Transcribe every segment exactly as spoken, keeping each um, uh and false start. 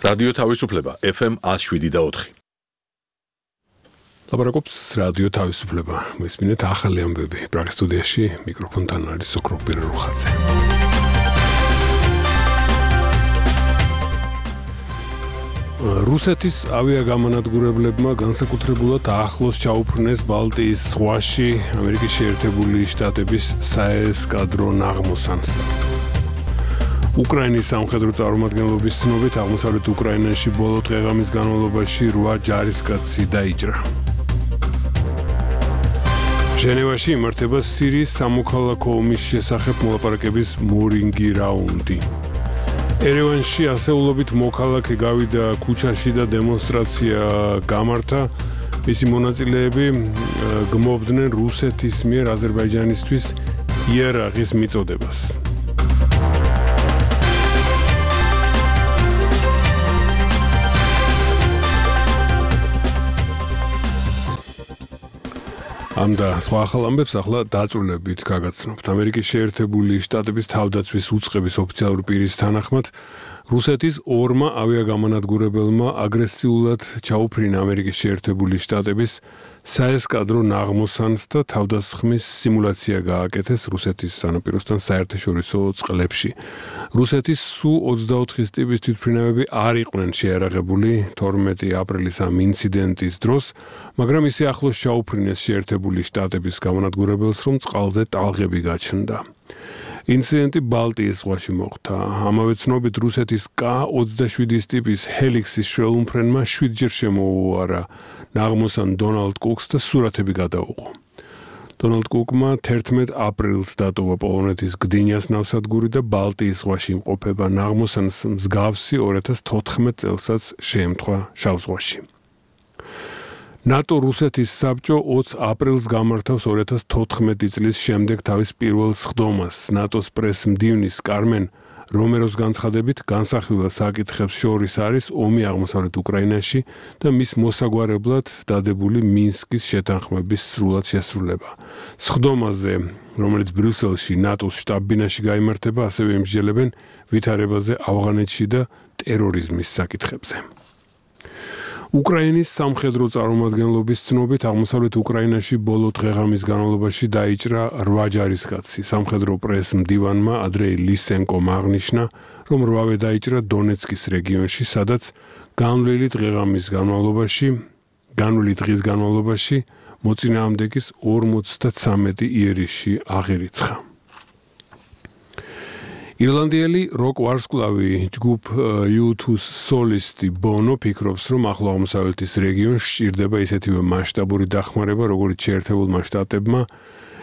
რადიო თავისუფლება ეფ ემ one oh seven და four. ლაპარაკობს რადიო თავისუფლება. მესმინეთ ახალი ამბები. პრაღის სტუდიაში მიკროფონთან არის სოკრო პირერუხაძე. რუსეთის ავიაგამანადგურებლებმა განსაკუთრებულად ახლოს ჩაუფრნეს ბალტიის ზღვაში ამერიკის შეერთებული შტატების საესკადრო ნაღმოსანს. უკრაინის სამხედრო წარმომადგენლობის ცნობით აღმოსავლეთ უკრაინაში ბოლო დღეღამის განმავლობაში eight ჯარისკაცი დაიჭრა. ჟენევაში იმართება სირიის სამოქალაქო ომის შესახებ მოლაპარაკების მორინგი რაუნდი. ერევანში ასეულობით მოქალაქე გავიდა ქუჩაში და დემონსტრაცია გამართა. მისი მონაწილეები გმობდნენ რუსეთის მიერ აზერბაიჯანისთვის იერაღის მიწოდებას. ამ და სხვა ახალ ამბებს ახლა დაწვრილებით გაგაცნობთ. ამერიკის შეერთებული შტატების თავდაცვის უწყების ოფიციალური პირის თანახმად რუსეთის ორმა ავიაგამანადგურებელმა აგრესიულად ჩაუფრინა ამერიკის შეერთებული შტატების საესკადრო ნაღმოსანს და თავდასხმის სიმულაცია გააკეთეს რუსეთის სანაპიროსთან საერთაშორისო წყლებში. რუსეთის სუ twenty-four ტიპის თვითმფრინავები არ იყვნენ შეიარაღებული თორმეტი აპრილის ამ ინციდენტის დროს, მაგრამ ისე ახლოს ჩაუფრინეს შეერთებული შტატების გამანადგურებელს, რომ წყალზე ტალღები გაჩნდა. ინციდენტი ბალტიის ზღვაში მოხდა. ამავე ცნობით რუსეთის კა twenty-seven ტიპის ჰელიქსის შველუმფრენმა seven ჯერ შემოუარა ნაღმოსან დონალდ კუკს და სურათები გადაუყო. დონალდ კუკმა eleven აპრილს დატოვა პოლონეთის გდინიას ნავსადგური და ბალტიის ზღვაში იმყოფება ნაღმოსანს მსგავსი two thousand fourteen წელსაც შეემთხვა შავ ზღვაში. ნატო რუსეთის საბჭო twenty აპრილს გამართავს two thousand fourteen წლის შემდეგ თავის პირველ სხდომას. ნატოს პრეს-მდივნის კარმენ რომეროს განცხადებით განსახილველ საკითხებს შორის არის ომი აღმოსავლეთ უკრაინაში და მის მოსაგვარებლად დადებული მინსკის შეთანხმების სრულად შესრულება. სხდომაზე, რომელიც ბრიუსელში ნატოს შტაბ-ბინაში გაიმართება, ასევე იმსჯელებენ ვითარებაზე ავღანეთში და ტერორიზმის საკითხებზე. უკრაინის სამხედრო წარმომადგენლობის ცნობით აღმოსავლეთ უკრაინაში ბოლო დღეღამის განმავლობაში დაიჭრა eight ჯარისკაცი. სამხედრო პრეს-მდივანმა ადრეი ლისენკომ აღნიშნა, რომ eight-ვე დაიჭრა დონეცკის რეგიონში, სადაც განვლილი დღეღამის განმავლობაში, განვლილი დღის განმავლობაში მოწინააღმდეგის forty-three იერიში აღირიცხა. ირლანდიელი როკ ვარსკვლავი ჯგუფ U two სოლისტი ბონო ფიქრობს, რომ ახლო აღმოსავლეთის რეგიონში სჭირდება ისეთივე მასშტაბური დახმარება, როგორც შეერთებულმა შტატებმა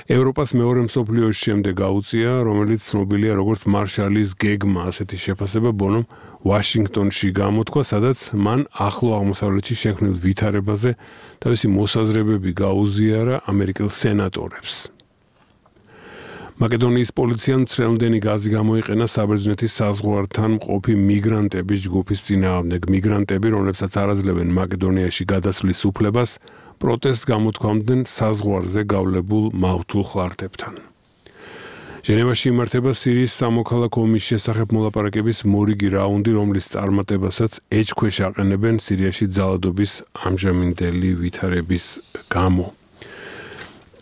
ევროპას მეორე მსოფლიო ომის შემდეგ გაუწია, რომელიც ცნობილია როგორც მარშალის გეგმა. ასეთი შეფასება ბონომ ვაშინგტონში გამოთქვა, სადაც მან ახლო აღმოსავლეთში შექმნილ ვითარებაზე თავისი მოსაზრებები გაუზიარა ამერიკელ სენატორებს. მაკედონიის პოლიციამ მცრელმდენი გაზი გამოიყენა საბერძნეთის საზღვართან მყოფი მიგრანტების ჯგუფის წინააღმდეგ. მიგრანტები, რომლებსაც არ აძლევენ მაკედონიაში გადასვლის უფლებას, პროტესტს გამოთქვამდნენ საზღვარზე გავლებულ მავთულ ხლარტებთან. ჟენევაში იმართება სირიის სამოქალაქო ომის შესახებ მოლაპარაკების მორიგი რაუნდი, რომლის წარმატებასაც ეჭქვეშ აყენებენ სირიაში ძალადობის ამჟამინდელი ვითარების გამო.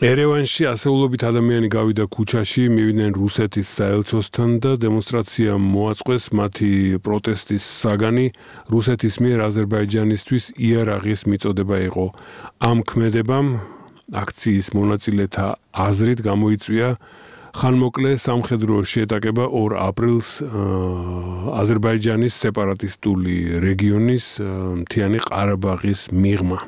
ერევანში ასეულობით ადამიანი გავიდა ქუჩაში, მივიდნენ რუსეთის საელჩოსთან და დემონსტრაცია მოაწყვეს მათი პროტესტის საგანი რუსეთის მიერ აზერბაიჯანისთვის იერაღის მიწოდება იყო. ამ ქმედებამ აქციის მონაწილეთა აზრით გამოიწვია ხანმოკლე სამხედრო შეტაკება two აპრილს აზერბაიჯანის სეპარატისტული რეგიონის მთიანი ყარაბაღის მიღმა.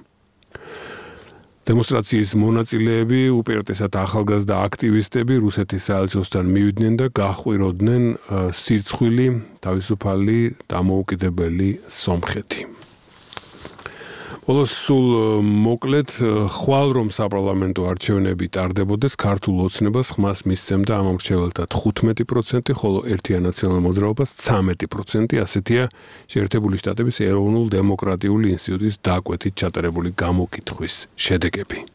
დემონსტრაციის მონაწილეები, უპირატესად ახალგაზრდა აქტივისტები, რუსეთის საელჩოსთან მივიდნენ და გაჰყვიროდნენ სირცხვილი, თავისუფალი, დამოუკიდებელი სომხეთი. ბოლოს სულ მოკლედ, ხვალ რომ საპარლამენტო არჩევნები ტარდებოდეს, ქართულ ოცნებას ხმას მისცემდა ამ ამრჩეველთა fifteen percent, ხოლო ერთიან ნაციონალურ მოძრაობას thirteen percent, ასეთია შეერთებული შტატების ეროვნულ დემოკრატიული ინსტიტუტის დაკვეთით ჩატარებული გამოკითხვის შედეგები.